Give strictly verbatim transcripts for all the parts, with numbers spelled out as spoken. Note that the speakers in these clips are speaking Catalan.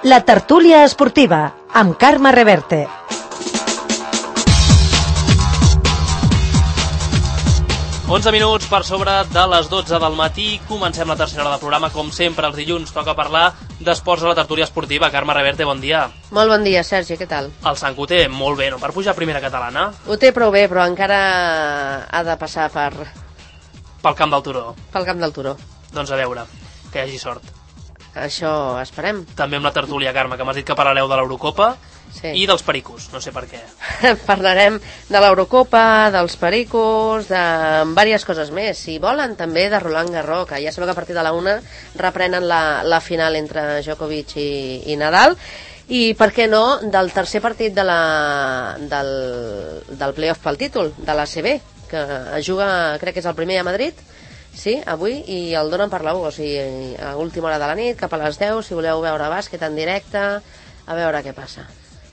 La tertúlia esportiva, amb Carme Reverte. onze minuts per sobre de les dotze del matí. Comencem la tercera hora del programa. Com sempre, els dilluns toca parlar d'esports a la tertúlia esportiva. Carme Reverte, bon dia. Molt bon dia, Sergi, què tal? El Sant ho té molt bé, no? Per pujar a primera catalana. Ho té prou bé, però encara ha de passar per... Pel camp del Turó. Pel camp del Turó. Doncs a veure, que hi hagi sort. Això esperem. També amb la tertúlia, Carme, que m'has dit que parlareu de l'Eurocopa. Sí. I dels pericos, no sé per què. Parlarem de l'Eurocopa, dels pericos, de diverses coses més. Si volen, també de Roland Garros, que ja sabeu que a partir de la una reprenen la, la final entre Djokovic i, i Nadal. I, per què no, del tercer partit de la, del, del playoff pel títol, de l'A C B, que es juga, crec que és el primer a Madrid, sí, avui, i el donen per la u, o sigui, a última hora de la nit, cap a les deu, si voleu veure bàsquet en directe, a veure què passa.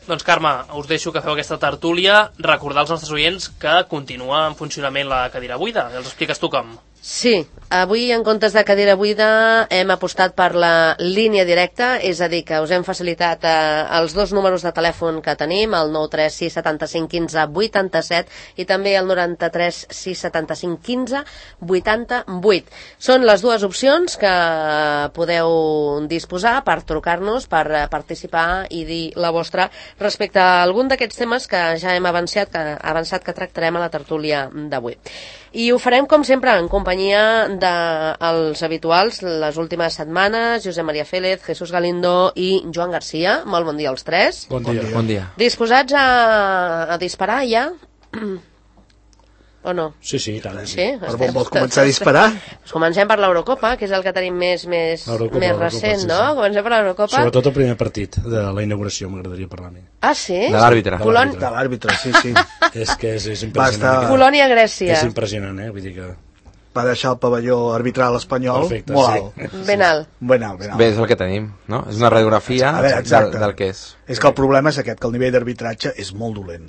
Doncs Carme, us deixo que feu aquesta tertúlia. Recordar als nostres oients que continua en funcionament la cadira buida. Els expliques tu com? Sí, avui en comptes de cadira buida hem apostat per la línia directa, és a dir, que us hem facilitat eh, els dos números de telèfon que tenim, el nou tres sis set cinc un cinc vuit set i també el noranta-tres sis set cinc un cinc vuit vuit. Són les dues opcions que podeu disposar per trucar-nos, per eh, participar i dir la vostra respecte a algun d'aquests temes que ja hem avançat que, avançat que tractarem a la tertúlia d'avui. I ho farem, com sempre, en companyia dels habituals les últimes setmanes, Josep Maria Félez, Jesús Galindo i Joan Garcia. Molt bon dia als tres. Bon dia. Bon dia. Disposats a, a disparar ja? O no? Sí, sí, tant. Sí? Per on vols començar a disparar? Pues comencem per l'Eurocopa, que és el que tenim més, més, més recent, sí, no? Sí. Comencem per l'Eurocopa. Sobretot el primer partit de la inauguració, m'agradaria parlar-ne. Ah, sí? De l'àrbitre. Polònia. De l'àrbitre, sí, sí. És que és, és impressionant. Estar... Polònia-Grècia. És impressionant, eh? Vull dir que... Va deixar el pavelló arbitral espanyol Perfecte, molt sí. alt. Ben alt. Ben alt, ben alt. Bé, és el que tenim, no? És una radiografia veure, del, del que és. És que el problema és aquest, que el nivell d'arbitratge és molt dolent.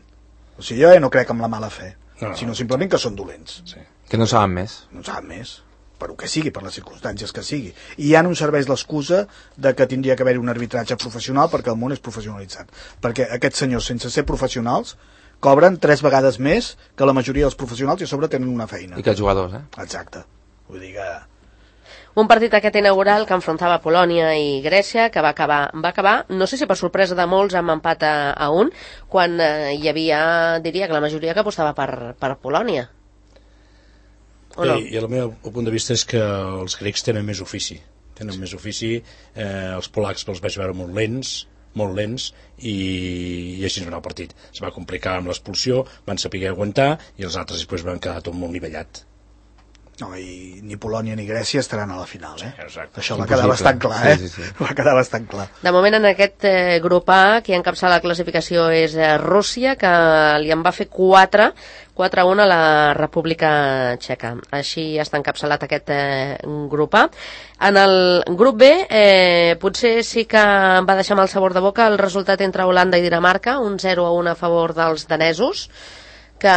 O sigui, jo ja no crec en la mala fe, no. sinó simplement que són dolents. Sí. Que no saben més. No saben més, per el que sigui, per les circumstàncies que sigui. I ja no ens serveix l'excusa de que tindria que haver un arbitratge professional perquè el món és professionalitzat. Perquè aquests senyors, sense ser professionals, cobren tres vegades més que la majoria dels professionals i a sobre tenen una feina. I que els jugadors, eh? Exacte. Vull dir que... Un partit aquest inaugural que enfrontava Polònia i Grècia, que va acabar, va acabar, no sé si per sorpresa de molts, amb empat a, a un, quan eh, hi havia, diria que la majoria que apostava per, per Polònia. O no? Bé, i el meu punt de vista és que els grecs tenen més ofici. Tenen més ofici, eh, els polacs els vaig veure molt lents, molt lents, i, i així va anar el partit. Es va complicar amb l'expulsió, van saber aguantar, i els altres després van quedar tot molt nivellat. No, i ni Polònia ni Grècia estaran a la final, eh? Sí, exacte. Això va quedar bastant clar, eh? Sí, sí, sí. Va quedar bastant clar. De moment, en aquest eh, grup A, qui encapçala la classificació és eh, Rússia, que li en va fer quatre, quatre a un a la República Txeca. Així està encapçalat aquest eh, grup A. En el grup B, eh, potser sí que va deixar amb el sabor de boca el resultat entre Holanda i Dinamarca, un zero a un a favor dels danesos, que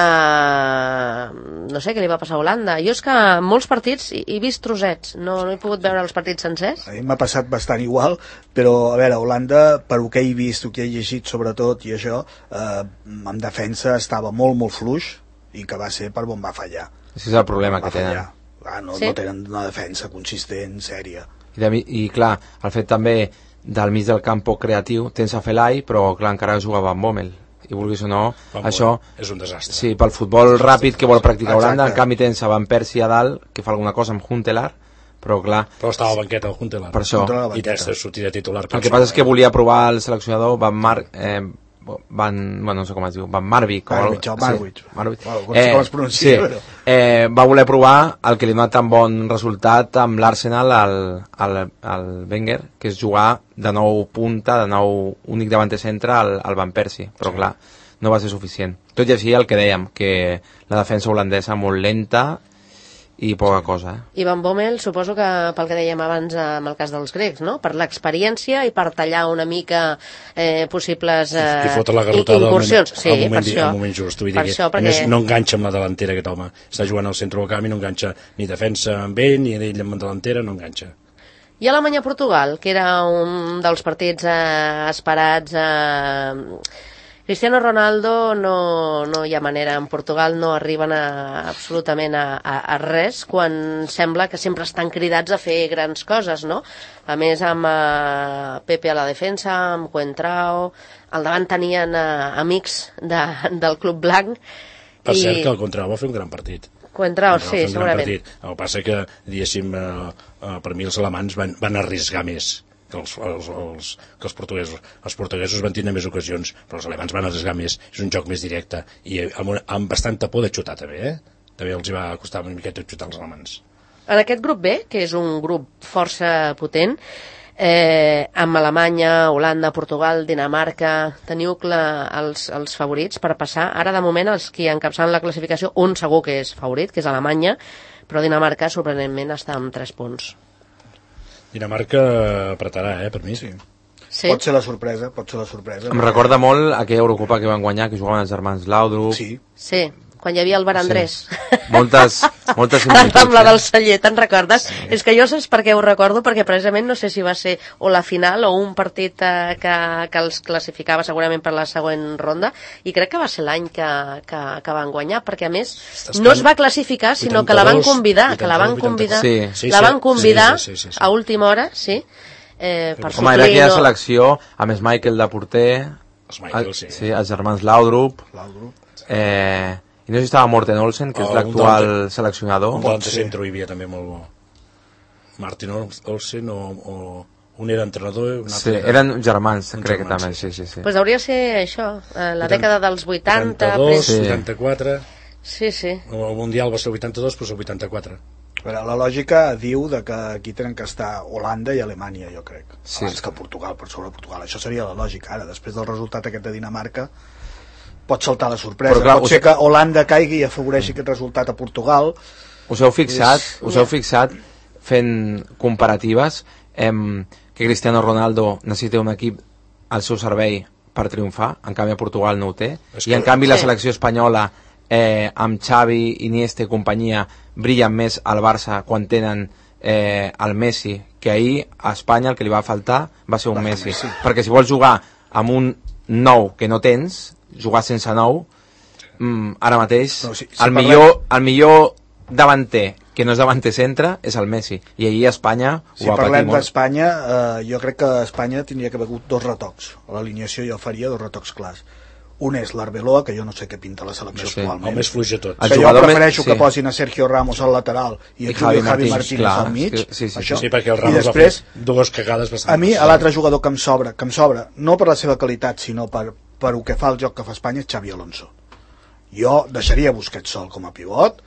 no sé què li va passar a Holanda. Jo és que en molts partits he vist trossets, no, no he pogut veure els partits sencers. A mi m'ha passat bastant igual, però a veure, Holanda, per el que he vist, el que he llegit sobretot i això, eh, en defensa estava molt, molt fluix, i que va ser per on va fallar. Això és el problema va que tenen. Ah, no, sí? no tenen una defensa consistent, sèria. I, de, I clar, el fet també del mig del camp poc creatiu, tens a Felai, però clar, encara jugava amb Bommel. I vulguis o no, Van això... És un desastre. Sí, pel futbol ràpid que vol practicar Exacte. Holanda, en canvi tens a Van Persie a dalt, que fa alguna cosa amb Huntelaar, però clar... Però estava al banquet el Huntelaar. Per això. I tens de sortir de titular. El que passa és que volia provar el seleccionador Van Mar... Eh, Van... Bueno, no sé com es diu, Van Marwijk. Marwijk, o Marwijk. Sí, Marwijk. Bueno, no sé com es pronuncia, sí, però... eh, va voler provar el que li ha donat tan bon resultat amb l'Arsenal al, al, al Wenger, que és jugar de nou punta, de nou únic davanter centre al, al Van Persie, però sí. Clar, no va ser suficient. Tot i així el que dèiem, que la defensa holandesa molt lenta i poca cosa. Eh? I Van Bommel, suposo que pel que dèiem abans amb el cas dels grecs, no? Per l'experiència i per tallar una mica eh, possibles eh, incursions. Al sí, moment, per això. Al moment just. Vull per dir això, que, perquè... A més, no enganxa amb la delantera aquest home. Està jugant al centre del camp i no enganxa ni defensa amb ell, ni ell amb la delantera, no enganxa. I Alemanya-Portugal, que era un dels partits eh, esperats... Eh, Cristiano Ronaldo no, no hi ha manera, en Portugal no arriben a, absolutament a, a, a res, quan sembla que sempre estan cridats a fer grans coses, no? A més, amb uh, Pepe a la defensa, amb Coentrao, al davant tenien uh, amics de, del Club Blanc. Per i... cert que el Coentrao va fer un gran partit. Coentrao, sí, segurament. El que passa que, diguéssim, uh, uh, per mi els alemans van, van arriscar més que els, els, els, que els portuguesos. Els portuguesos van tenir més ocasions, però els alemans van arriscar més. És un joc més directe i amb, amb bastanta por de xutar també, eh? També els hi va costar una miqueta xutar els alemans. En aquest grup B, que és un grup força potent, eh, amb Alemanya, Holanda, Portugal, Dinamarca, teniu clar els, els favorits per passar. Ara, de moment, els que encapçalen la classificació, un segur que és favorit, que és Alemanya, però Dinamarca, sorprenentment, està amb tres punts. Dinamarca apretarà, eh, per mi. Sí. Sí? Pot ser la sorpresa, pot ser la sorpresa. Em recorda molt aquella Eurocopa que van guanyar, que jugaven els germans Laudrup. Sí. Sí, quan hi havia el Bar Andrés. Sí. Moltes, moltes a la similituds. Rambla del Celler, te'n recordes? Sí. És que jo saps per què ho recordo, perquè precisament no sé si va ser o la final o un partit eh, que, que els classificava segurament per la següent ronda, i crec que va ser l'any que, que, que van guanyar, perquè a més no es va classificar, sinó que la van convidar, que la van convidar, sí. Sí, la sí, van convidar sí, sí, sí, sí. a última hora, sí, eh, per Home, era suplir, aquella no... selecció, a més Michael de porter, Els Michael, sí. sí, els germans Laudrup, eh, i no sé si estava Morten Olsen, que Oh, és l'actual un seleccionador. Un delante centro hi havia també molt bo. Martin Olsen o, o un era entrenador... Un Sí, altre eren germans, Un crec que germans, també, sí, sí, sí. Pues hauria de ser això, eh, la dècada dels vuitanta... vuitanta-dos, Sí. vuitanta-quatre... Sí, sí. El Mundial va ser el vuitanta-dos, però el vuitanta-quatre. Però la lògica diu de que aquí tenen que estar Holanda i Alemanya, jo crec. Sí. Abans que Portugal, per sobre Portugal. Això seria la lògica. Ara, després del resultat aquest de Dinamarca, pot saltar la sorpresa. Però clar, pot us- ser que Holanda caigui i afavoreixi aquest resultat a Portugal. Us heu fixat, És- us heu fixat fent comparatives em, que Cristiano Ronaldo necessita un equip al seu servei per triomfar, en canvi a Portugal no ho té, És i en que- canvi la Sí. selecció espanyola eh, amb Xavi, Iniesta i companyia brillen més al Barça quan tenen eh, el Messi, que ahir a Espanya el que li va faltar va ser un Va ser Messi, Messi. perquè si vols jugar amb un nou que no tens, jugar sense nou, mm, ara mateix No, si- si el, parlem- millor, el millor davanter que no és davanter centre és el Messi, i ahir a Espanya Si ho va patir parlem molt. d'Espanya, eh, jo crec que Espanya tindria que haver hagut dos retocs. A l'alineació jo faria dos retocs clars. Un és l'Arbeloa, que jo no sé què pinta la selecció Sí. actualment. El més fluix de tot. El Que jo jugador prefereixo més- que posin a Sergio Ramos al lateral i a I Javi, Javi Javi Martínez, Martínez clar, al mig. és que- sí, sí, això. Sí, perquè el I Ramos després, va fer dues cagades bastant. a mi, l'altre jugador que em sobra, que em sobra, no per la seva qualitat, sinó per, per el que fa el joc que fa Espanya, és Xavi Alonso. Jo deixaria Busquets sol com a pivot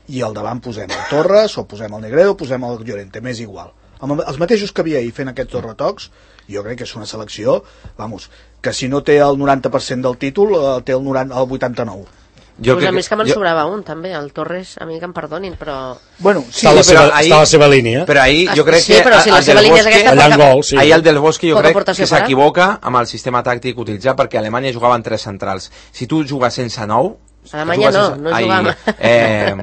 i al davant posem el Torres, o posem el Negredo, o posem el Llorente, m'és igual. Amb els mateixos que havia ahir fent aquests dos retocs, jo crec que és una selecció, vamos, que si no té el noranta per cent del títol, eh, té el, noranta, el vuitanta-nou. Jo Pues a crec més que me'n jo- sobrava un, també, el Torres, a mi que em perdonin, però... Bueno, sí, Està a la però seva, ahir- està a la seva línia. Però ahir jo Ah, crec sí, que però si la el seva del línia és Bosque, aquesta, allà en poca- gol, sí. ahir el del Bosque jo Poca crec aportació que farà. s'equivoca amb el sistema tàctic utilitzat, perquè a Alemanya jugaven tres centrals. Si tu jugues sense nou... A Alemanya jugues no, sense- no ai, jugava. Eh,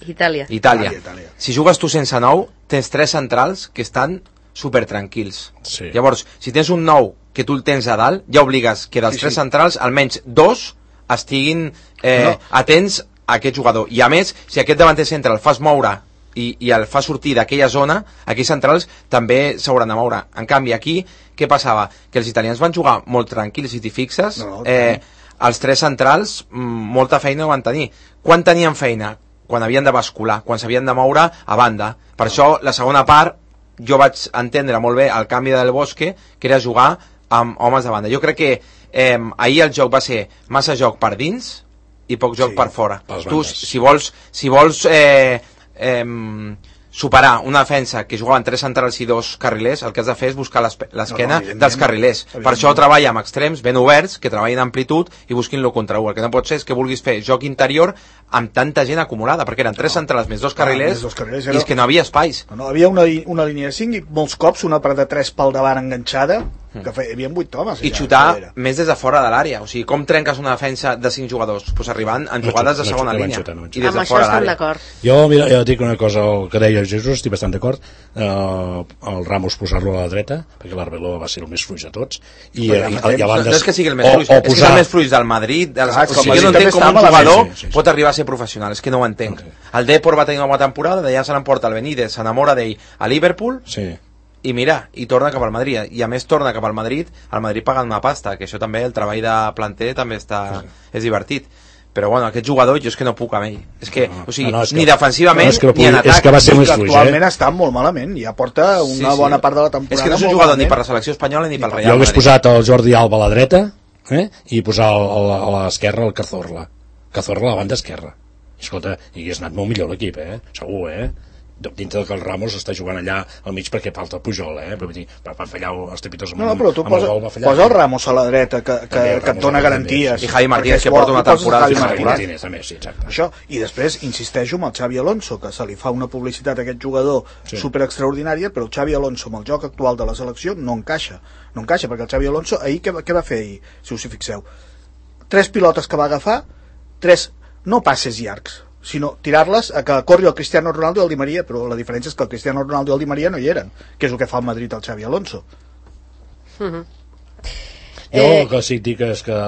Itàlia. Itàlia. Itàlia, Itàlia. Si jugues tu sense nou, tens tres centrals que estan super tranquils. Sí. Llavors, si tens un nou que tu el tens a dalt, ja obligues que dels Sí, tres sí. centrals almenys dos estiguin eh, No. atents a aquest jugador. I a més, si aquest davanter centre el fas moure i, i el fa sortir d'aquella zona, aquells centrals també s'hauran de moure. En canvi, aquí, què passava? Que els italians van jugar molt tranquils, si t'hi fixes, No, no, eh, els tres centrals mm, molta feina no van tenir. Quan tenien feina? Quan havien de bascular, quan s'havien de moure a banda. Per això, la segona part, jo vaig entendre molt bé el canvi del Bosque, que era jugar amb homes de banda. Jo crec que eh, ahir el joc va ser massa joc per dins i poc joc Sí, per fora. pels Tu, bandes. si vols, si vols eh, eh, superar una defensa que jugaven tres centrals i dos carrilers, el que has de fer és buscar l'espe- l'esquena No, no, evidentment. dels carrilers. Per Evidentment. això treballa amb extrems ben oberts, que treballin en amplitud i busquin lo contra u. El que no pot ser és que vulguis fer joc interior amb tanta gent acumulada, perquè eren tres centrals més dos carrilers, més dos carrilers, i era- és que no havia espais. No, no, havia una, una línia de cinc i molts cops una per de tres pel davant enganxada que hi havia vuit homes i xutar més des de fora de l'àrea, o sigui, com trenques una defensa de cinc jugadors? Pues arribant en jugades de segona línia i des de fora de l'àrea. Jo, mira, jo dic una cosa, el que deia Jesús, estic bastant d'acord, eh, el Ramos posar-lo a la dreta, perquè l'Arbeloa va ser el més fluix de tots, i, i, i a bandes... No és que sigui el més fluix, és que és el més fluix del Madrid, o sigui, jo no entenc com un jugador pot arribar a ser professional, és que no ho entenc. El Depor va tenir una bona temporada, d'allà se l'emporta el Benítez, s'enamora d'ell a Liverpool, i mira, i torna cap al Madrid, i a més torna cap al Madrid, al Madrid pagant una pasta, que això també, el treball de planter també està, és divertit, però bueno, aquest jugador jo és que no puc amb ell, és que, no, o sigui, no, no, que, ni defensivament no, ni en atac, és que va ser més fluix, actualment eh? està molt malament, ja porta una sí, sí. bona part de la temporada, és que no és un jugador malament. Ni per la selecció espanyola ni pel Real Madrid. Jo hagués posat el Jordi Alba a la dreta, eh? i posar a l'esquerra el Cazorla Cazorla a la banda esquerra, i escolta, i hagués anat molt millor l'equip, eh? segur, eh? dintre que el Ramos està jugant allà al mig perquè falta Pujol, eh? Però, dir, van fallar els tepitos amb, no, no, però tu amb posa, el gol va fallar. Posa el Ramos a la dreta que, que, que et dona garanties. I Javi Martínez que porta una temporada Javi Martínez, també, sí, exacte. Això, i després insisteixo amb el Xavi Alonso, que se li fa una publicitat a aquest jugador sí. super extraordinària, però el Xavi Alonso amb el joc actual de la selecció no encaixa, no encaixa perquè el Xavi Alonso ahir què, què va fer ahir, si us hi fixeu? Tres pilotes que va agafar, tres, no passes llargs, sinó tirar-les a que corri el Cristiano Ronaldo i el Di Maria, però la diferència és que el Cristiano Ronaldo i el Di Maria no hi eren, que és el que fa el Madrid al Xavi Alonso. Uh-huh. Jo eh... el que sí que dic és que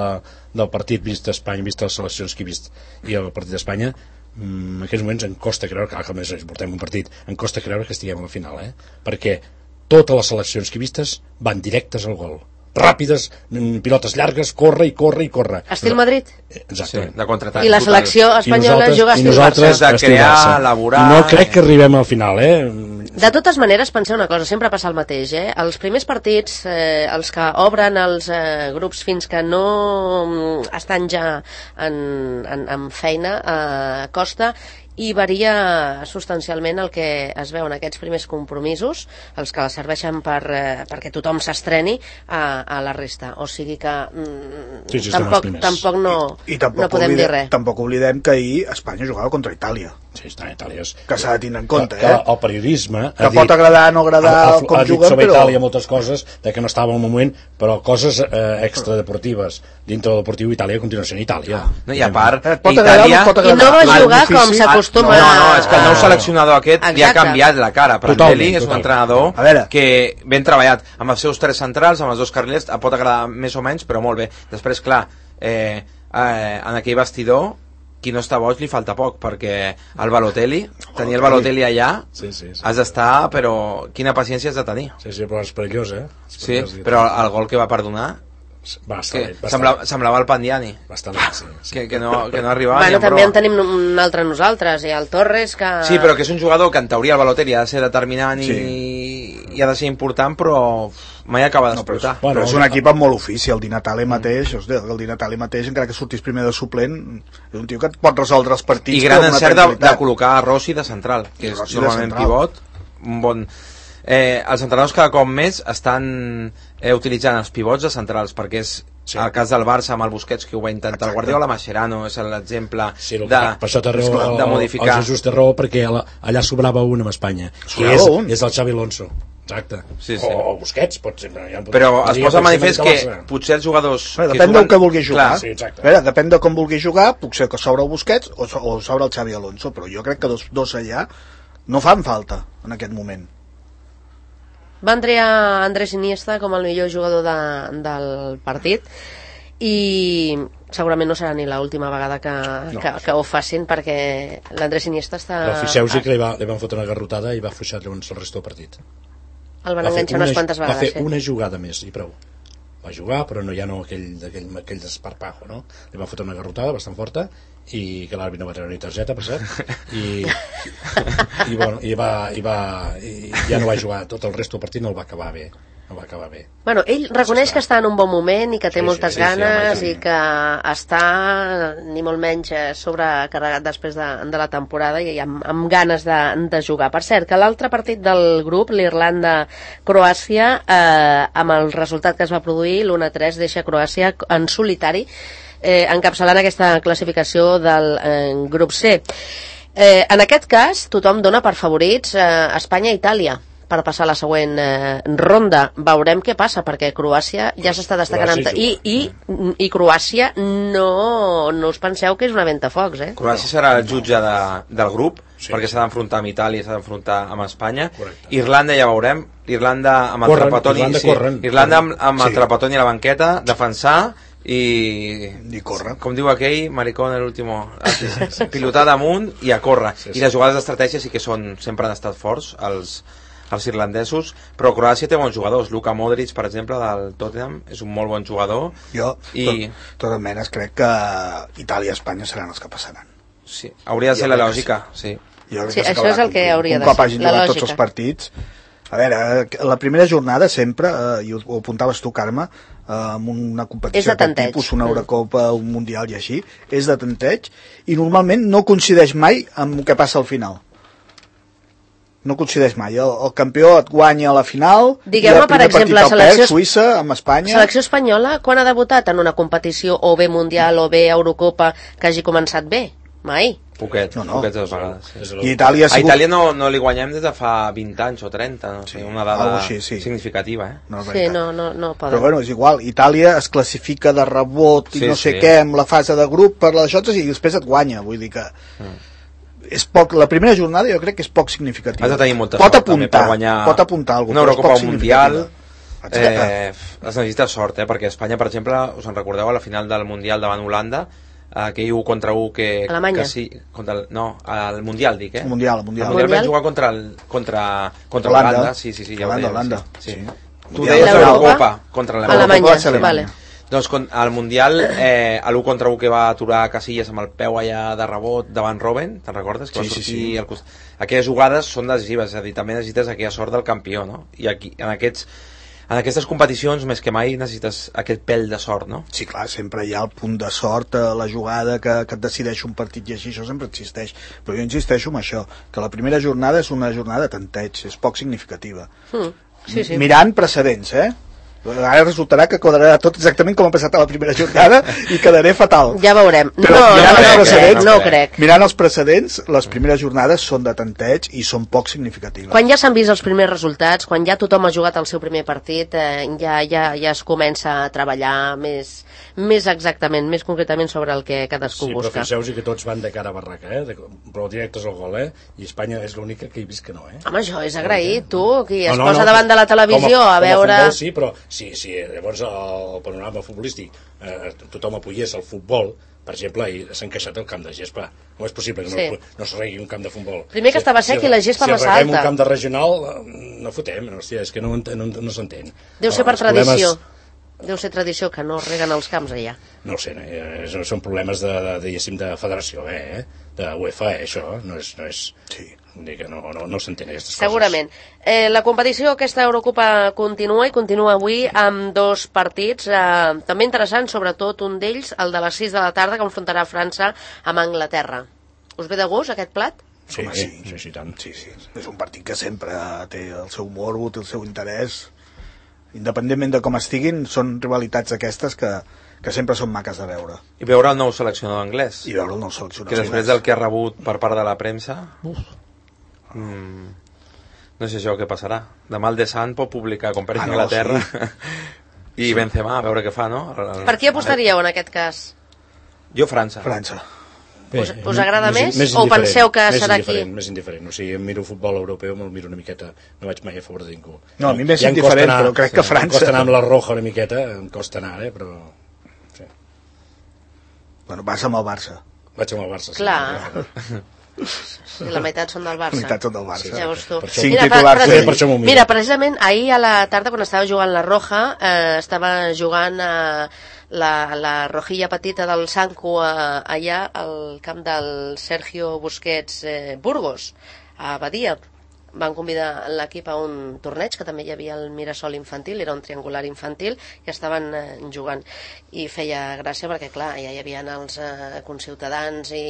del partit vist d'Espanya, vist les seleccions que he vist i el partit d'Espanya, en aquests moments em costa creure que, que més portem un partit, em costa creure que estiguem a la final, eh? Perquè totes les seleccions que he vistes van directes al gol, ràpides, pilotes llargues, corre i corre i corre. Estil Madrid? Exactament. Sí, de contraatac. I la selecció espanyola juga estil Barça. De crear, elaborar... No crec que arribem al final, eh? De totes maneres, penseu una cosa, sempre passa el mateix, eh? Els primers partits, eh, els que obren els eh, grups fins que no estan ja en, en, en feina, eh, costa, i varia substancialment el que es veu en aquests primers compromisos, els que serveixen per, eh, perquè tothom s'estreni a, a la resta, o sigui que mm, sí, sí, tampoc, tampoc no, I, i tampoc no podem oblidem, dir res. Tampoc oblidem que ahir Espanya jugava contra Itàlia. Sí, està, Itàlia és... Que s'ha de tenir en compte, que, eh? Que el periodisme... Que pot agradar o no agradar ha, ha, com ha juguen, sobre però... Itàlia moltes coses, de que no estava al moment, però coses eh, extradeportives. Dintre del deportiu, Itàlia continua sent Itàlia. No, i a part, eh, Itàlia... I no va jugar com s'acostuma... No, no, és que el nou seleccionador aquest li ha canviat la cara. Prandelli és un entrenador que ben treballat amb els seus tres centrals, amb els dos carrilers, pot agradar més o menys, però molt bé. Després, clar, eh, eh, en aquell vestidor qui no està boig li falta poc, perquè el Balotelli, tenir el Balotelli allà, sí, sí, sí, has d'estar, però quina paciència has de tenir. Sí, sí, però és perillós, eh? És perillós, sí, però el gol que va perdonar, va estar que bé, va semblava, estar semblava el Pandiani, va estar bé, sí, sí. Que, que, no, que no arribava bueno, ni en també broma. en tenim un altre nosaltres, i el Torres, que... Sí, però que és un jugador que en teoria el Balotelli ha de ser determinant i, sí. i ha de ser important, però mai acaba d'explotar. No, però, bueno, però és un equip amb molt ofici, el Di Natale mateix, mm. ostres, el Di Natale mateix, encara que sortís primer de suplent, és un tio que et pot resoldre els partits. I gran encert de, de col·locar a Rossi de central, que és Rossi normalment pivot, un bon... Eh, els entrenadors cada cop més estan eh, utilitzant els pivots de centrals, perquè és sí. El cas del Barça amb el Busquets, que ho va intentar Exacte. El Guardiola, Mascherano és l'exemple sí, de, per això té raó, de, de modificar. El Jesús té raó, perquè allà sobrava un amb Espanya, que és, és el Xavi Alonso. Exacte. Sí, sí. O, o Busquets, pot ser. Ja pot però es posa manifest que potser els jugadors... Bé, depèn del que vulgui jugar. Sí, Bé, depèn de com vulgui jugar, potser que s'obre el Busquets o, o s'obre el Xavi Alonso, però jo crec que dos, dos allà no fan falta en aquest moment. Va entrar Andrés Iniesta com el millor jugador de, del partit i segurament no serà ni l'última vegada que, no. que, que ho facin, perquè l'Andrés Iniesta està... Però fixeu-vos que li, va, li van fotre una garrotada i va afluixar llavors el resto del partit. El van enganxar unes quantes vegades. Va fer sí. una jugada més i prou. Va jugar, però no, ja no aquell, aquell, aquell desparpajo, no? Li va fotre una garrotada bastant forta i que l'àrbitre no va treure ni targeta, per cert, i, i, bueno, i, va, i, va, i ja no va jugar tot el resto del partit, no el va acabar bé. No va acabar bé. Bueno, ell reconeix que està en un bon moment i que té sí, moltes sí, ganes sí, sí, i que està ni molt menys sobrecarregat després de, de la temporada i amb, amb ganes de, de jugar. Per cert, que l'altre partit del grup, l'Irlanda-Croàcia, eh, amb el resultat que es va produir, l'u a tres, deixa Croàcia en solitari, eh, encapçalant aquesta classificació del eh, grup C. Eh, en aquest cas, tothom dona per favorits eh, Espanya i Itàlia, per passar a la següent eh, ronda. Veurem què passa, perquè Croàcia ja s'està destacant Croàcia amb... I, i, i Croàcia no, no us penseu que és una ventafocs, eh? Croàcia serà el jutge de, del grup, Sí. perquè s'ha d'enfrontar amb Itàlia, s'ha d'enfrontar amb Espanya. Correcte. Irlanda ja veurem, Irlanda amb el Corren, Trapattoni, Irlanda sí, corren, Irlanda amb, corren. amb el Sí. Trapattoni a la banqueta, defensar i... I córrer. Com diu aquell, maricón el último, pilotar damunt i a córrer. Sí, sí. I les jugades d'estratègia sí que són, sempre han estat forts, els, els irlandesos, però Croàcia té bons jugadors. Luka Modric, per exemple, del Tottenham, és un molt bon jugador. Jo, I... I... de totes maneres, crec que Itàlia i Espanya seran els que passaran. Sí, hauria de ser Jo la crec que lògica, sí. Jo crec Sí, que això s'acabarà és el que complint. hauria un de cop ser, hagin la jugat lògica. tots els partits. A veure, eh, la primera jornada sempre, eh, i ho, ho apuntaves tu, Carme, eh, amb una És competició de d'aquest tanteig. tipus, una Eurocopa, un Mundial i així, és de tanteig, i normalment no coincideix mai amb el que passa al final. No coincideix mai. El, el campió et guanya a la final, Digueu-me, i el per primer exemple, partit el selecció- perd, Suïssa, amb Espanya... Selecció espanyola, quan ha debutat en una competició o bé Mundial o bé Eurocopa que hagi començat bé? Mai. Poquet, No, no. poquets de vegades. És I Itàlia ha A sigut... Itàlia no, no li guanyem des de fa vint anys o trenta, no sé, Sí, una dada algo així, sí. significativa, eh? No, és Sí, veritat. no, no, no poden. Però bueno, és igual, Itàlia es classifica de rebot i Sí, no sé sí. què amb la fase de grup per les xotes i després et guanya, vull dir que és poc, la primera jornada jo crec que és poc significativa. Has de tenir molta pot sort també apuntar, per guanyar pot apuntar alguna una cosa, però és Eurocopa poc o un Mundial. significativa. Exacte. Eh, es necessita sort, eh? Perquè Espanya, per exemple, us en recordeu a la final del Mundial davant Holanda, aquell u contra u que... Alemanya. Que sí, contra el, no, al Mundial, dic, eh? El Mundial, el Mundial. Al Mundial Mundial? vam jugar contra, el, contra, contra Holanda. Holanda. Sí, sí, sí, ja ho Holanda, dèiem, Holanda, sí. sí. sí. Tu Mundial. deies L'Eurocopa? l'Eurocopa contra l'Alemanya. Alemanya, va ser Alemanya. vale. Doncs con, al Mundial, eh, a l'u contra u que va aturar Casillas amb el peu allà de rebot davant Robben, te'n recordes? Que Sí, va sí, sortir sí. al cost... Aquelles jugades són decisives, és a dir, també necessites aquella sort del campió, no? I aquí, en, aquests, en aquestes competicions, més que mai, necessites aquest pèl de sort, no? Sí, clar, sempre hi ha el punt de sort, eh, la jugada que, que et decideix un partit i així, això sempre existeix. Però jo insisteixo en això, que la primera jornada és una jornada de tanteig, és poc significativa. Mm. Sí, sí. Mirant precedents, eh? Ara resultarà que quadrarà tot exactament com ha passat a la primera jornada i quedaré fatal. Ja veurem. No, Però no, mirant no, els no, precedents, no, no crec. Mirant els precedents, les primeres jornades són de tanteig i són poc significatives. Quan ja s'han vist els primers resultats, quan ja tothom ha jugat el seu primer partit, eh, ja, ja, ja es comença a treballar més, més exactament, més concretament sobre el que cadascú Sí, però busca. fixeu-vos que tots van de cara a barraca, eh? De, però directes al gol, eh? I Espanya és l'única que he vist que no, eh? Home, això és agraït, tu, qui es No, no, posa no, davant de la televisió com a veure... Com a futbol, sí, però sí, sí, llavors el panorama futbolístic, eh, tothom apoyés el futbol, per exemple, i s'ha encaixat el camp de gespa. Com és possible que Sí. no, no es regui un camp de futbol? Primer que estava sec i la gespa si massa arreglem alta. un camp de regional, eh, no fotem, no, hòstia, és que no, no, no s'entén. Deu ser No, per els problemes- tradició. Deu ser tradició que no reguen els camps allà. No ho sé, no, eh, són problemes de, de, diguéssim, de federació, eh? De UEFA, eh, això, no és... No és Sí. Vull dir que no, no, no s'entén aquestes Segurament. Eh, la competició, aquesta Eurocopa, continua i continua avui amb dos partits eh, també interessants, sobretot un d'ells, el de les sis de la tarda, que enfrontarà França amb Anglaterra. Us ve de gust aquest plat? coses. Sí, Home, sí, sí. sí, sí, tant. Sí, sí, és un partit que sempre té el seu morbo, té el seu interès. Independentment de com estiguin, són rivalitats aquestes que, que sempre són maques de veure. I veure el nou seleccionador anglès, I veure el nou seleccionat. que després del que ha rebut per part de la premsa... Mm, no sé jo què passarà. Demà el The Sun pot publicar com per Ah, no, Anglaterra sí. i Benzema, a veure què fa, no? El- Per qui apostaríeu en aquest cas? Jo França. França. Bé, Us- us agrada més? O indiferent, penseu que més serà indiferent, aquí? Més indiferent, o sigui, em miro futbol europeu, me'l miro una miqueta, no vaig mai a favor de ningú. No, a mi m'és Ja em costa indiferent, anar- però crec que Em França- costa anar amb la roja una miqueta, em costa anar, eh, però... Sí. Bueno, vas amb el Barça. Vaig amb el Barça. sí. Clar. Sí, la meitat són del Barça. La meitat són del Barça. Sí, Ja veus tu. Per això- Cinc Mira, titulars, pre- sí. pre- Per això m'ho miro. mira, precisament ahir a la tarda, quan estava jugant la Roja, eh, estava jugant a la, la rojilla petita del Sanco a, allà al camp del Sergio Busquets eh, Burgos, a Badia. Van convidar l'equip a un torneig, que també hi havia el Mirasol infantil, era un triangular infantil, i estaven eh, jugant. I feia gràcia perquè, clar, ja hi havia els eh, conciutadans i,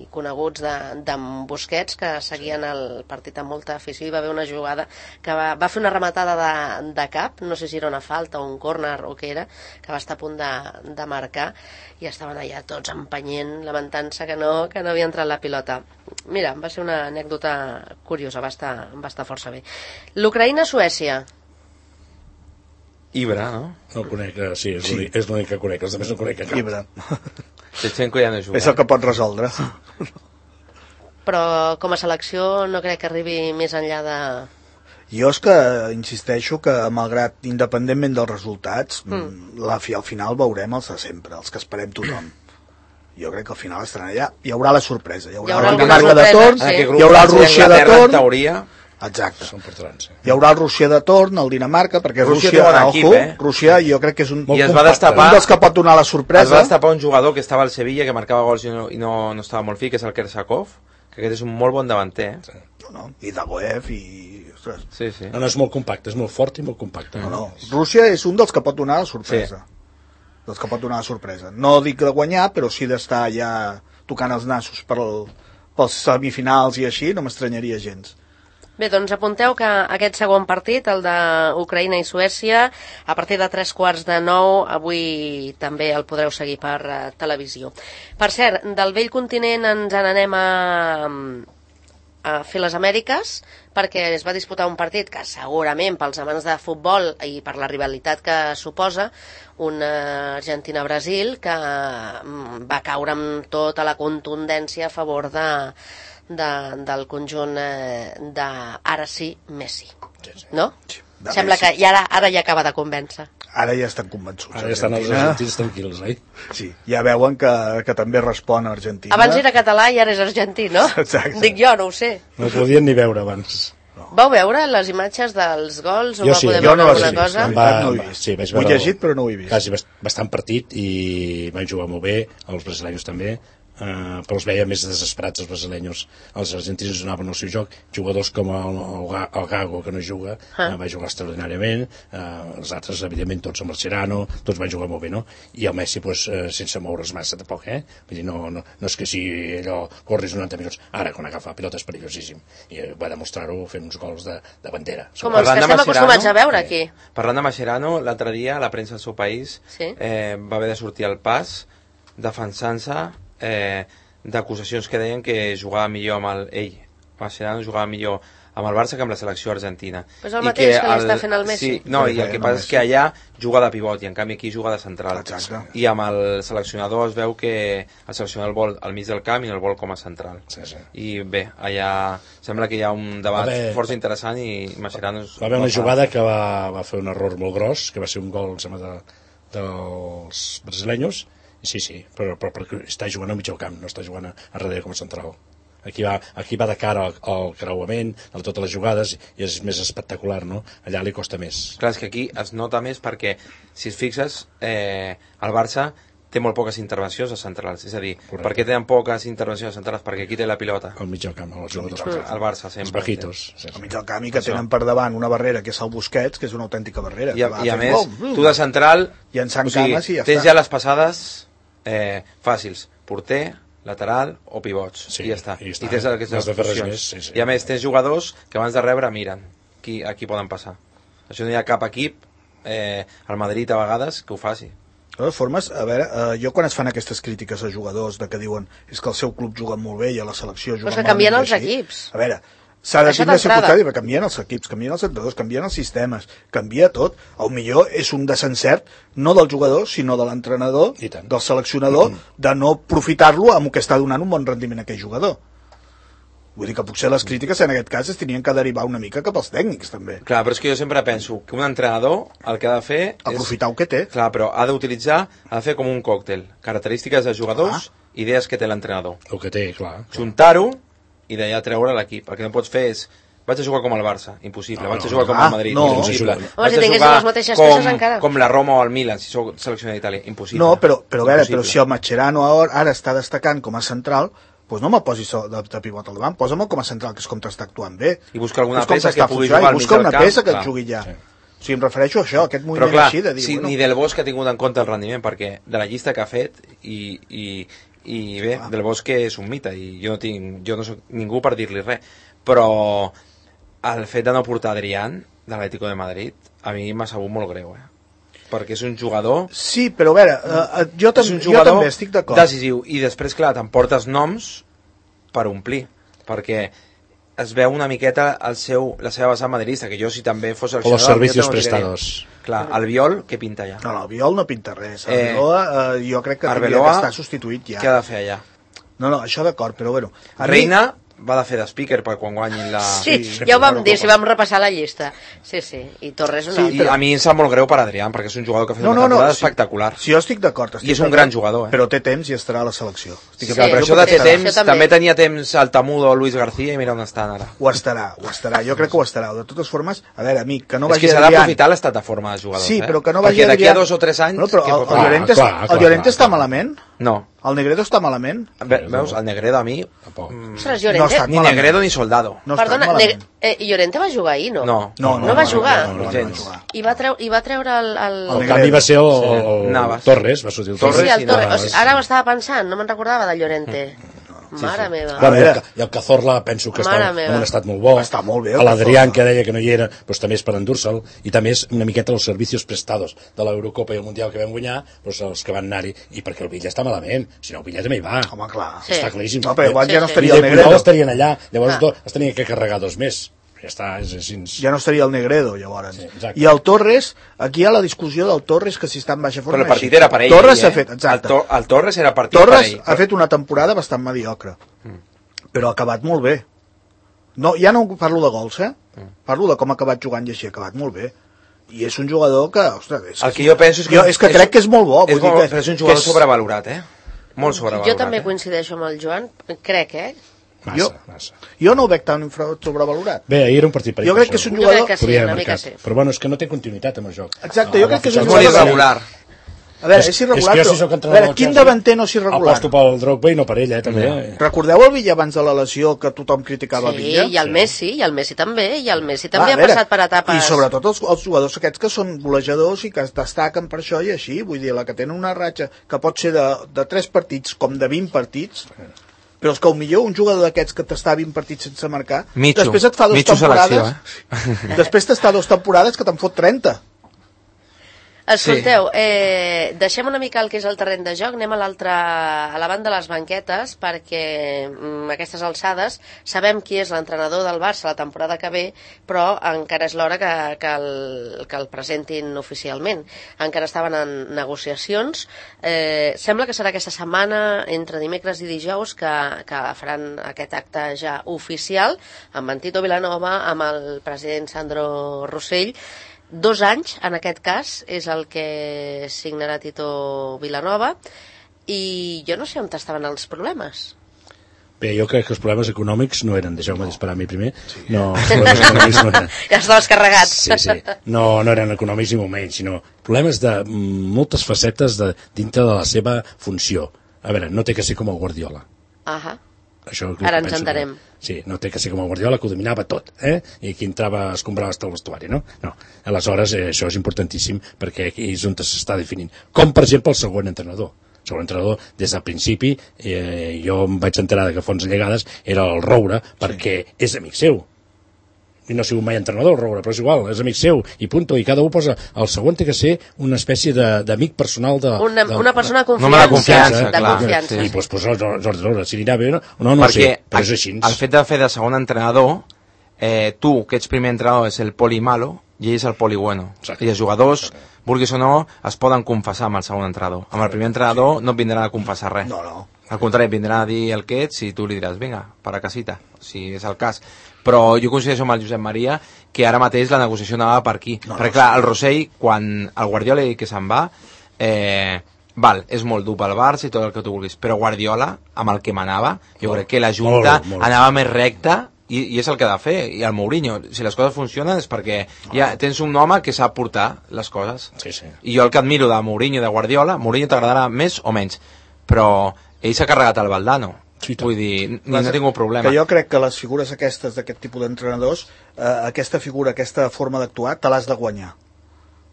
i coneguts d'en de, Busquets que seguien el partit amb molta afició. Hi va haver una jugada que va, va fer una rematada de, de cap, no sé si era una falta o un córner o què era, que va estar a punt de, de marcar, i estaven allà tots empenyent, lamentant-se que no, que no havia entrat la pilota. mira, va ser una anècdota curiosa, va estar, va estar força bé. L'Ucraïna-Suècia. Ibra, no? No el conec, eh, sí, és l'únic és l'únic que conec, els altres no conec cap. Ibra. Shevchenko ja no juga. És el que pot resoldre. Però com a selecció no crec que arribi més enllà de... Jo és que insisteixo que, malgrat, independentment dels resultats, mm. la, al final veurem els de sempre, els que esperem tothom. Jo crec que al final estaran allà. Hi haurà la sorpresa. Hi haurà, hi haurà la Dinamarca de torn, sí. hi haurà el Rússia de torn... En teoria... Exacte. Són portarans, sí. Hi haurà el Rússia de torn, el Dinamarca, perquè Rússia Rússia, té bon ojo, equip, eh? Rússia jo crec que és un, I es va un destapar... dels que pot donar la sorpresa. Es va destapar un jugador que estava al Sevilla, que marcava gols i no, i no, no estava molt fi, que és el Kersakov, que aquest és un molt bon davanter, eh? No, no. I Dagoev i... Ostres. Sí, sí. No, no, és molt compacte, és molt fort i molt compacte. No, no. Rússia és un dels que pot donar la sorpresa. Sí. Dels que pot donar la sorpresa. No dic de guanyar, però sí d'estar ja tocant els nassos per el, pels semifinals i així, no m'estranyaria gens. Bé, doncs apunteu que aquest segon partit, el d'Ucraïna i Suècia, a partir de tres quarts de nou, avui també el podreu seguir per uh, televisió. Per cert, del vell continent ens n'anem a, a fer les Amèriques, perquè es va disputar un partit que segurament pels amants de futbol i per la rivalitat que suposa, una Argentina-Brasil, que um, va caure amb tota la contundència a favor de... De, del conjunt eh, de ara sí, Messi, no? Sí, sembla Messi. Que ja ara, ara ja acaba de convèncer. Ara ja estan convençuts. Ara ja estan els argentins tranquils, eh? Sí, ja veuen que, que també respon a Argentina. Abans era català i ara és argentí, no? Exacte. Dic jo, no ho sé. No ho podien ni veure abans. No. Vau veure les imatges dels gols? O jo sí, poder jo no alguna sí, cosa? Va, no ho he vist. Sí, vaig ho he llegit, però no ho he vist. Quasi bastant partit i van jugar molt bé, els brasileños també. Uh, però els veia més desesperats els brasileños. Els argentins donaven el seu joc, jugadors com el, el, el Gago, que no juga, ah. uh, va jugar extraordinàriament, uh, els altres evidentment tots amb el Serrano, tots van jugar molt bé, no? I el Messi pues, uh, sense moure's massa tampoc, eh? Vull dir, no, no, no és que si allò corris noranta minuts, ara quan agafa la pilota és perillosíssim i uh, va demostrar-ho fent uns gols de, de bandera. Com els que estem acostumats a veure aquí. Eh, parlant de Mascherano, l'altre dia la premsa del seu país sí? eh, va haver de sortir al pas defensant-se Eh, d'acusacions que deien que jugava millor amb el ell, Mascherano jugava millor amb el Barça que amb la selecció argentina. Pues el mateix que, que li el, està fent el Messi. Sí, no, i el que passa és que allà juga de pivot i en canvi aquí juga de central. Exacte. I amb el seleccionador es veu que el seleccionador el vol al mig del camp i no el vol com a central. Sí, sí. I bé, allà sembla que hi ha un debat haver, força interessant i Mascherano... Va haver una jugada que va, va fer un error molt gros, que va ser un gol, sembla, de, dels brasileños. Sí, sí, però, però, però està jugant al mig del camp, no està jugant a, a darrere com a central. Aquí va, aquí va de cara al, al creuament, a totes les jugades, i és més espectacular, no? Allà li costa més. Clar, és que aquí es nota més perquè, si es fixes, eh, el Barça té molt poques intervencions a centrals, és a dir, Correcte. Per què tenen poques intervencions a centrals? Perquè aquí té la pilota. Al mig del camp, els jugadors. El Barça sempre. Els bajitos. Sí, sí. Al mig del camp i que tenen per davant una barrera que és el Busquets, que és una autèntica barrera. I a, i a més, bom, tu de central, llançant o sigui, cames i ja tens està. ja les passades eh, fàcils, porter, lateral o pivots, sí, i ja està. I, està. I tens aquestes funcions. Més, sí, sí. I a més tens jugadors que abans de rebre miren qui, a qui poden passar. Això no hi ha cap equip, eh, al Madrid a vegades, que ho faci. De totes formes, a veure, eh, jo quan es fan aquestes crítiques a jugadors de que diuen és que el seu club juga molt bé i a la selecció juga molt bé... Però que canvien els així, equips. A veure, s'ha de tindre circumstàncies, canvien els equips, canvien els entrenadors, canvien els sistemes, canvia tot. El millor és un desencert, no del jugador, sinó de l'entrenador, del seleccionador, mm. de no aprofitar-lo amb el que està donant un bon rendiment a aquell jugador. Vull dir que potser les crítiques en aquest cas es tenien que derivar una mica cap als tècnics, també. Clar, però és que jo sempre penso que un entrenador el que ha de fer és... aprofitar el que té. Clar, però ha d'utilitzar, ha de fer com un còctel. Característiques de jugadors, ah. idees que té l'entrenador. El que té, clar. clar. Juntar-ho i d'allà treure l'equip. El que no pots fer és... Vaig a jugar com el Barça, impossible. No, vaig a jugar com ah, el Madrid, no. impossible. Home, vaig si a jugar les mateixes com, encara. com la Roma o el Milan, si sou seleccionat d'Itàlia, impossible. No, però, però, a veure, però si el Mascherano ara està destacant com a central, doncs no me'l posis de, de pivot al davant, posa'm com a central, que és com t'està actuant bé. I busca alguna peça que pugui jugar al mig del camp. Busca una peça que et jugui ja. Sí. O sigui, em refereixo a això, a aquest moviment clar, així de dir... Sí, bueno, ni Del Bosque ha tingut en compte el rendiment, perquè de la llista que ha fet, i, i, i bé, ah. Del Bosque és un mite, i jo no, tinc, jo no soc ningú per dir-li res, però el fet de no portar Adrián, de l'Atlético de Madrid, a mi m'ha sabut molt greu, eh? Perquè és un jugador... Sí, però a veure, uh, jo, tam jo també estic d'acord. Decisiu, i després, clar, t'emportes noms per omplir. perquè es veu una miqueta el seu, la seva vessant madridista, que jo si també fos O seleccionador... los servicios no prestados. Clar, el Viol, què pinta allà? No, no, el Viol no pinta res. El Eh, Arbeloa, eh, jo crec que hauria Arbeloa, d'estar substituït ja. Què ha de fer allà? No, no, això d'acord, però bueno. A mi- Reina va de fer de speaker per quan guanyin la... Sí, Sí, ja ho vam claro, dir, com- si vam repassar la llista. Sí, sí, i Torres un Sí, altre. I a mi em sap molt greu per Adrián, perquè és un jugador que ha fet No, una no, no, temporada sí. espectacular. Si jo estic d'acord. estic I és un d'acord, gran jugador, eh? Però té temps i estarà a la selecció. Estic Sí, Clar, però jo això de crec té que temps, això també. també tenia temps el Tamudo o Luis García i mira on estan ara. Ho estarà, ho estarà. Jo crec que ho estarà. De totes formes, a veure, amic, que no és vagi que s'ha Adrián. d'aprofitar l'estat de forma de jugadors, Sí, eh? però que no vagi Perquè d'aquí a Adrián. dos o tres anys... No, però què el, pot el fer? Llorente, clar, el clar, Llorente clar, està clar. malament? No. El Negredo està malament? Ve, veus, el Negredo a mi... Tampoc. Ostres, No Llorente... està Ni malament. Negredo ni Soldado. No està Perdona, malament. Neg- eh, Llorente va jugar ahir, no? No. No, No va jugar? No, no, no, Gens. va jugar. I va, treu, i va treure el... el... El El Negredo. canvi va ser el, el, el Navas. Torres, va sortir el Sí, Torres. sí, el i Torres. Navas. O sigui, ara ho estava pensant, no me'n recordava de Llorente. Mare meva. Bueno, A i, el, veure. Ca- i el Cazorla penso que Mare està meva. en un estat molt bo. Està molt bé, el A l'Adrián, Cazorla. que deia que no hi era, doncs també és per endur-se'l. I també és una miqueta els servicios prestados de l'Eurocopa i el Mundial que vam guanyar, doncs els que van anar-hi. I perquè el Villa està malament. Si no, el Villa també hi va. Home, clar. Sí. Està claríssim. No, però igual Sí, ja no sí. I estaria de el Puyol Negredo. estarien allà. Llavors Ah. do, es tenia que carregar dos més. Ja està, és així. Ja no estaria el Negredo, llavors. Sí, exacte. I el Torres, aquí hi ha la discussió del Torres, que si està en baixa forma... Però el partit així. era per ell. Torres eh? s'ha fet, exacte. El, to, el Torres era partit Torres per ell. ha fet una temporada bastant mediocre, però ha acabat molt bé. No, ja no parlo de gols, eh? Parlo de com ha acabat jugant i així, ha acabat molt bé. I és un jugador que, ostres... És El que jo penso és que... jo, és que crec que és molt bo. És, vull dir molt, que, però és un jugador que és- sobrevalorat, eh? Molt sobrevalorat. Jo també eh? coincideixo amb el Joan, crec, eh? Massa, Jo- massa. Jo no ho veig tan infra- sobrevalorat. Bé, ahir era un partit per Jo crec que és un Jo jugador... crec que sí, Podria una haver mica marcat. sí. Però bueno, és que no té continuïtat amb el joc. Exacte, jo crec que és un És fitxar- molt jugador... irregular. A veure, És- és irregular, és que jo, si però... sóc A entrenador veure, del quin Chelsea, davanter no és irregular? Aposto pel Drogba i no per ell, eh, també. Eh? Recordeu el Villa abans de la lesió que tothom criticava Sí, Villa? i el Messi, i el Messi també, i el Messi Ah, també a ha veure, passat per etapes... I sobretot els, els jugadors aquests que són golejadors i que es destaquen per això i així, vull dir, la que tenen una ratxa que pot ser de, de tres partits com de vint partits, però és que millor un jugador d'aquests que t'està vint partits sense marcar, Mitjo. després et fa dues Mitjo temporades, selecció, eh? després t'està dues temporades que te'n fot trenta. Escolteu, eh, deixem una mica el que és el terreny de joc, anem a l'altra, a la banda de les banquetes, perquè mm, a aquestes alçades sabem qui és l'entrenador del Barça la temporada que ve, però encara és l'hora que, que, el, que el presentin oficialment. Encara estaven en negociacions. Eh, sembla que serà aquesta setmana, entre dimecres i dijous, que, que faran aquest acte ja oficial, amb en Tito Vilanova, amb el president Sandro Rossell. Dos anys, en aquest cas, és el que signarà Tito Vilanova, i jo no sé on estaven els problemes. Bé, jo crec que els problemes econòmics no eren, deixeu-me disparar a mi primer, no, els problemes econòmics no eren. Ja estaves carregat. Sí, sí, no, no eren econòmics ni molt menys, sinó problemes de mm, moltes facetes de, dintre de la seva funció. A veure, no té que ser com el Guardiola. Ahà. Això és el Ara que ens penso entenem. que- Sí, no té que ser com el Guardiola, que ho dominava tot, eh? I qui entrava es comprava hasta el vestuari, no? No. Aleshores, eh, això és importantíssim perquè aquí és on s'està definint. Com, per exemple, el següent entrenador. El següent entrenador, des del principi, eh, jo em vaig enterar que Fons Llegades era el Roure, perquè sí. és amic seu. I no ha sigut mai entrenador, el Roure, però és igual, és amic seu, i punto, i cada un posa... El següent té que ser una espècie de- d'amic personal de... Una, de, una persona de Un home de confiança. confiança, de clar. confiança. I doncs posa el Jordi Roure, si anirà bé o no, no, no Perquè sé, però és així. el fet de fer de segon entrenador, eh, tu, que ets primer entrenador, és el poli malo i ell és el poli bueno. Exacte. I els jugadors, vulguis o no, es poden confessar amb el segon entrenador. Amb el primer entrenador no et vindran a confessar res. No, no. Al contrari, et vindran a dir el que ets i tu li diràs, vinga, para casita, si és el cas. Però jo coincideixo amb el Josep Maria que ara mateix la negociació anava per aquí. No, Perquè no, clar, el Rossell, quan el Guardiola diu que se'n va, eh, val, és molt dur pel Barça i tot el que tu vulguis, però Guardiola, amb el que manava, jo Molt, crec que la Junta molt, molt. anava més recta i, i és el que ha de fer. I el Mourinho, si les coses funcionen és perquè ja tens un home que sap portar les coses. Sí, sí. I jo el que admiro de Mourinho i de Guardiola, Mourinho t'agradarà més o menys, però ell s'ha carregat el Valdano. Sí, tant. Vull dir, ni, no he tingut problema. Que jo crec que les figures aquestes d'aquest tipus d'entrenadors, eh, aquesta figura, aquesta forma d'actuar, te l'has de guanyar.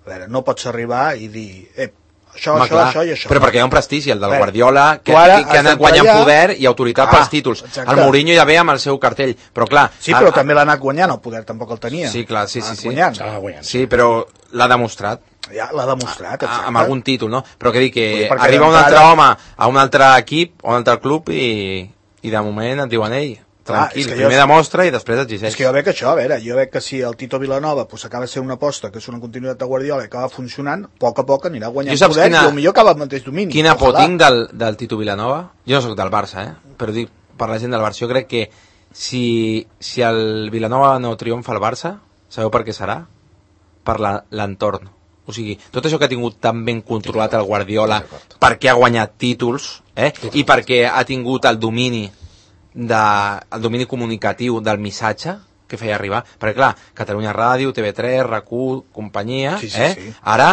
A veure, no pots arribar i dir, eh, això, Home, això, clar, això i això. però perquè hi ha un prestigi, el del Bé, Guardiola, que, tu ara que, que ha has anat guanyant d'entrar poder i autoritat Ah, pels títols. exacte. El Mourinho ja ve amb el seu cartell, però clar... Sí, però també l'ha anat guanyant, el poder tampoc el tenia. Sí, clar, sí, L'ha sí, anat sí. Guanyant. S'ha guanyat. Sí, però l'ha demostrat. Ja l'ha demostrat, a- exacte. amb algun títol, no? Però que dic que Vull dir, perquè arriba un altre d'entrada- home a un altre equip, a un altre club i, i de moment et diuen ell, tranquil, Clar, primer jo... demostra i després exigeix. És que jo veig això, a veure, jo veig que si el Tito Vilanova pues, acaba de ser una aposta, que és una continuïtat de Guardiola i acaba funcionant, a poc a poc anirà guanyant poder quina, i potser acaba al mateix domini. Quina por tinc del, del Tito Vilanova? Jo no soc del Barça, eh? Però dic per la gent del Barça, jo crec que si, si el Vilanova no triomfa al Barça, sabeu per què serà? Per l'entorn. O sigui, tot això que ha tingut tan ben controlat el Guardiola, perquè ha guanyat títols, eh? I perquè ha tingut el domini de, el domini comunicatiu del missatge que feia arribar, perquè clar, Catalunya Ràdio, T V tres, R A C U, companyia, sí, sí, eh? sí. Ara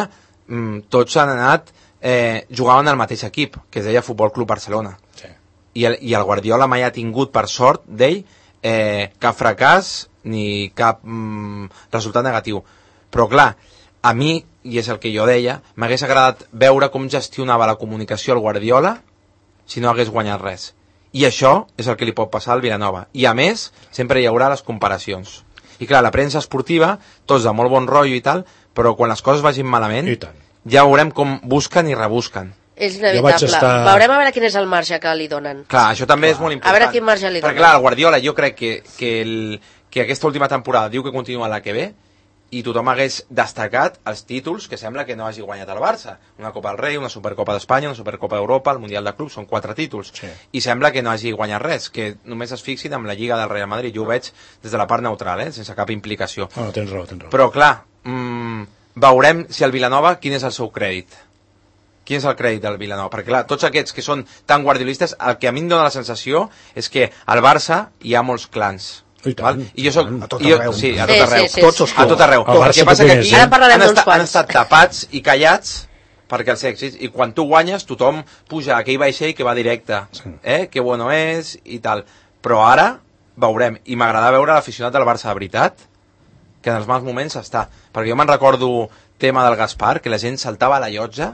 mm, tots han anat, eh, jugaven al mateix equip, que es deia Futbol Club Barcelona. Sí. I, el, I el Guardiola mai ha tingut, per sort d'ell, eh, cap fracàs ni cap mm, resultat negatiu. Però clar, a mi, i és el que jo deia, m'hagués agradat veure com gestionava la comunicació el Guardiola si no hagués guanyat res. I això és el que li pot passar al Vilanova. I a més, sempre hi haurà les comparacions. I clar, la premsa esportiva, tots de molt bon rotllo i tal, però quan les coses vagin malament, ja veurem com busquen i rebusquen. És inevitable. Estar... Veurem a veure quin és el marge que li donen. Clar, això també clar. És molt important. A veure quin marge li donen. Perquè clar, el Guardiola jo crec que, que, el, que aquesta última temporada diu que continua la que ve, i tothom hagués destacat els títols que sembla que no hagi guanyat el Barça. Una Copa del Rei, una Supercopa d'Espanya, una Supercopa d'Europa, el Mundial de Clubs, són quatre títols. Sí. I sembla que no hagi guanyat res, que només es fixin amb la Lliga del Real Madrid. Jo ho veig des de la part neutral, eh? Sense cap implicació. No, tens raó, tens raó. Però clar, mmm, veurem si el Vilanova, quin és el seu crèdit. Quin és el crèdit del Vilanova? Perquè clar, tots aquests que són tan guardiolistes, el que a mi em dóna la sensació és que al Barça hi ha molts clans. I, tant, I jo soc, a tot jo, arreu. sí, a tot arreu. Sí, sí, sí. Tots els a tot arreu. El El que passa que aquí Ara parlarem han, d'uns estat, han quants. estat tapats i callats perquè els èxits, i quan tu guanyes tothom puja a aquell vaixell que va directe, sí. eh? Que bueno és i tal. Però ara veurem, i m'agrada veure l'aficionat del Barça de veritat, que en els mals moments està. Perquè jo me'n recordo tema del Gaspar, que la gent saltava a la llotja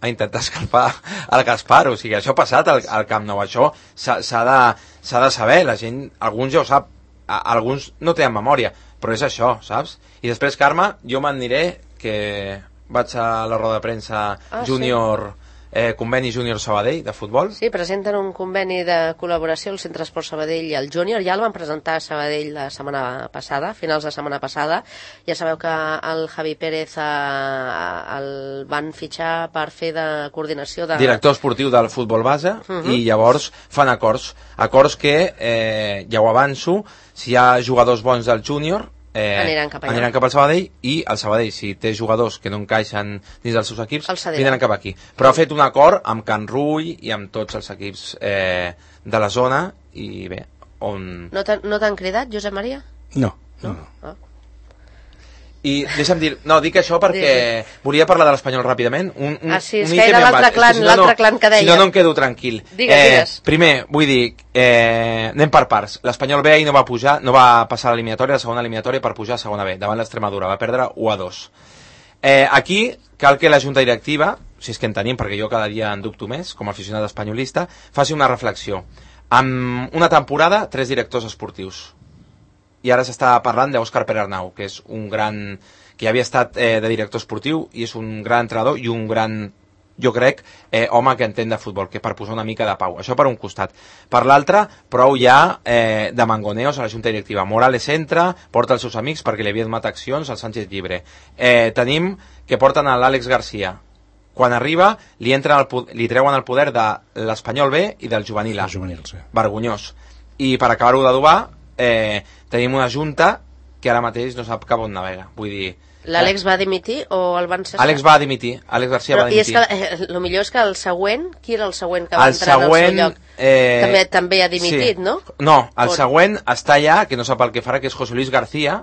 a intentar escalfar el Gaspar, o sigui, això ha passat al, al Camp Nou, això s'ha de, s'ha de saber, la gent, alguns ja ho sap, a, alguns no tenen memòria, però és això, saps? I després, Carme, jo m'aniré, que vaig a la roda de premsa ah, júnior, sí. eh, conveni júnior Sabadell de futbol. Sí, presenten un conveni de col·laboració el Centre Esport Sabadell i el júnior, ja el van presentar a Sabadell la setmana passada, finals de setmana passada. Ja sabeu que el Javi Pérez eh, el van fitxar per fer de coordinació de... Director esportiu del futbol base, uh -huh. i llavors fan acords, acords que, eh, ja ho avanço, si hi ha jugadors bons del júnior, Eh, aniran cap allà. Aniran cap al Sabadell, i el Sabadell, si té jugadors que no encaixen dins dels seus equips, vindran cap aquí. Però ha fet un acord amb Can Rull i amb tots els equips eh, de la zona, i bé, on... No t'han no cridat, Josep Maria? No, no, no. no. Ah. I deixa'm dir, no, dic això perquè volia parlar de l'Espanyol ràpidament. Un, un, ah, sí, és un que era l'altre clan, si no, l'altre no, clan que deia. Si no, no em quedo tranquil. Digues, eh, digues. Primer, vull dir, eh, anem per parts. L'Espanyol B ahir no va pujar, no va passar a l'eliminatòria, la segona eliminatòria, per pujar a segona B, davant l'Extremadura, va perdre u a dos. Eh, aquí cal que la Junta Directiva, si és que en tenim, perquè jo cada dia en dubto més, com a aficionat espanyolista, faci una reflexió. Amb una temporada, tres directors esportius. I ara s'està parlant d'Òscar Perarnau, que és un gran... que ja havia estat eh, de director esportiu, i és un gran entrenador i un gran, jo crec, eh, home que entén de futbol, que per posar una mica de pau. Això per un costat. Per l'altre, prou ja eh, de mangoneos a la Junta Directiva. Morales entra, porta els seus amics perquè li havia donat accions al Sánchez Llibre. Eh, tenim que porten a l'Àlex Garcia. Quan arriba, li, entren el, li treuen el poder de l'Espanyol B i del juvenil A. El juvenil, sí. Vergonyós. I per acabar-ho d'adobar, eh, tenim una junta que ara mateix no sap cap on navega. Vull dir... L'Àlex va dimitir o el van cessar? Àlex va dimitir, Àlex Garcia Però, va dimitir. I és que eh, el millor és que el següent, qui era el següent que va el entrar següent, en el seu lloc? Eh, també, també ha dimitit, sí. no? No, el On? següent està allà, que no sap el que farà, que és José Luis García,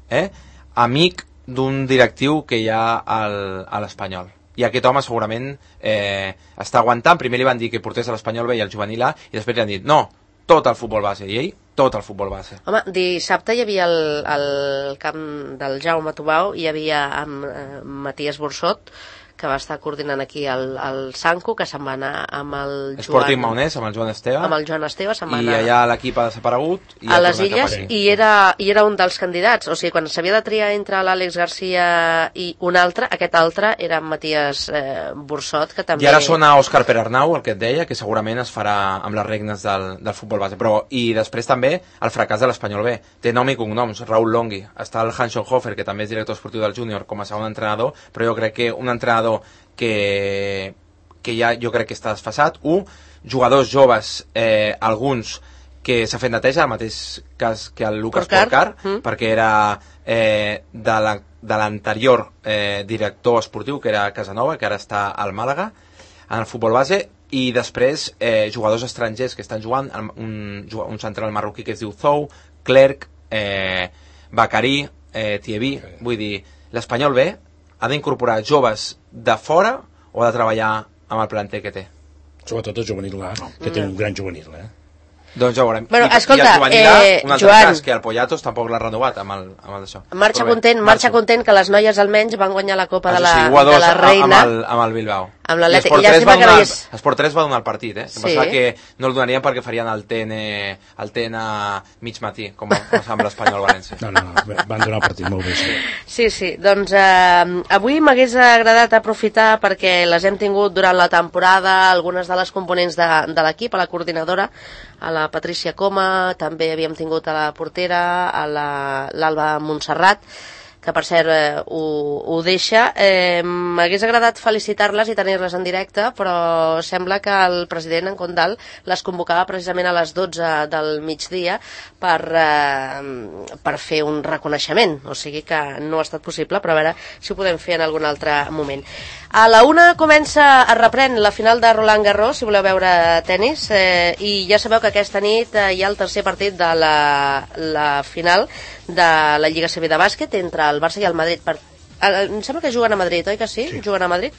eh, amic d'un directiu que hi ha al, a l'Espanyol. I aquest home segurament eh, està aguantant. Primer li van dir que portés a l'Espanyol B i al juvenil A, i després li han dit, no, tot el futbol base. I ell, tot el futbol base. Home, dissabte hi havia el, el camp del Jaume Tubau, hi havia amb eh, Matías Borsot, que va estar coordinant aquí el, el Sanco, que se'n va anar amb el Joan... Sporting Maonès, amb el Joan Esteve. Amb el Joan Esteve se'n va I anar... allà l'equip ha desaparegut. I a les Illes, i era, i era un dels candidats. O sigui, quan s'havia de triar entre l'Àlex Garcia i un altre, aquest altre era en Matías eh, Bursot, que també... I ara sona Òscar Perarnau, el que et deia, que segurament es farà amb les regnes del, del futbol base. Però, i després també el fracàs de l'Espanyol B. Té nom i cognoms, Raúl Longhi. Està el Hans Schoenhofer, que també és director esportiu del júnior, com a segon entrenador, però jo crec que un entrenador que, que ja jo crec que està desfasat. Un, jugadors joves, eh, alguns que s'ha fet neteja, el mateix cas que el Lucas Porcar, mm. perquè era eh, de l'anterior eh, director esportiu, que era Casanova, que ara està al Màlaga, en el futbol base, i després eh, jugadors estrangers que estan jugant, un, un central marroquí que es diu Zou, Clerc, eh, Bacari, eh, Thievi, vull dir, l'Espanyol B ha d'incorporar joves de fora o ha de treballar amb el planter que té? Sobretot el juvenil A, que té un gran juvenil, eh? Doncs ja ho veurem. Bueno, I, escolta, i el juvenil A, eh, un altre Joan, cas, que el Poyatos tampoc l'ha renovat amb el, amb el d'això. Marxa content, marxa content que les noies almenys van guanyar la Copa de la, sí, de la Reina. Amb el, amb el Bilbao. Amb l'Atlètic. Llàstima que donar, Esport tres va donar el partit, eh? Sí. Em pensava que no el donarien perquè farien el T N, el T N mig matí, com amb l'Espanyol València. No, no, no, van donar el partit molt bé. Sí, sí, sí. Doncs eh, avui m'hagués agradat aprofitar perquè les hem tingut durant la temporada, algunes de les components de, de l'equip, a la coordinadora, a la Patricia Coma, també havíem tingut a la portera, a l'Alba Montserrat, que per cert eh, ho, ho deixa. Eh, M'hagués agradat felicitar-les i tenir-les en directe, però sembla que el president en Condal les convocava precisament a les dotze del migdia per, eh, per fer un reconeixement, o sigui que no ha estat possible, però a veure si ho podem fer en algun altre moment. A la una comença, es reprèn la final de Roland Garros, si voleu veure tennis, eh, i ja sabeu que aquesta nit eh, hi ha el tercer partit de la, la final de la Lliga C B de bàsquet entre el Barça i el Madrid. Per... Em sembla que juguen a Madrid, oi que sí? sí? Juguen a Madrid.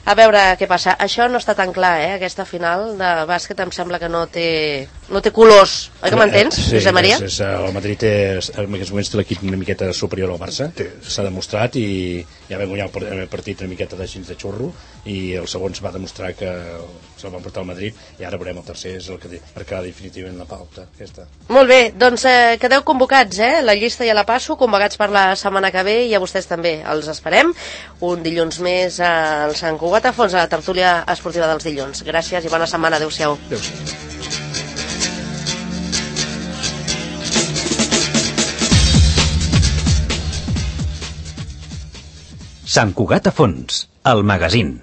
A veure què passa. Això no està tan clar, eh? Aquesta final de bàsquet em sembla que no té, no té colors. Oi que m'entens, sí, Josep Maria? És, és, el Madrid és, en aquests moments té l'equip una miqueta superior al Barça, s'ha demostrat, i ja vam guanyar el partit una miqueta de xins de xurro, i el segon va demostrar que se'l van portar al Madrid, i ara veurem el tercer, és el que marcarà definitivament la pauta aquesta. Molt bé, doncs eh, quedeu convocats, eh? La llista ja la passo, convocats per la setmana que ve, i a vostès també els esperem un dilluns més al Sant Cugat a fons, a la tertúlia esportiva dels dilluns. Gràcies i bona setmana, adeu-siau. Adéu-siau. Sant Cugat a fons, el magazín.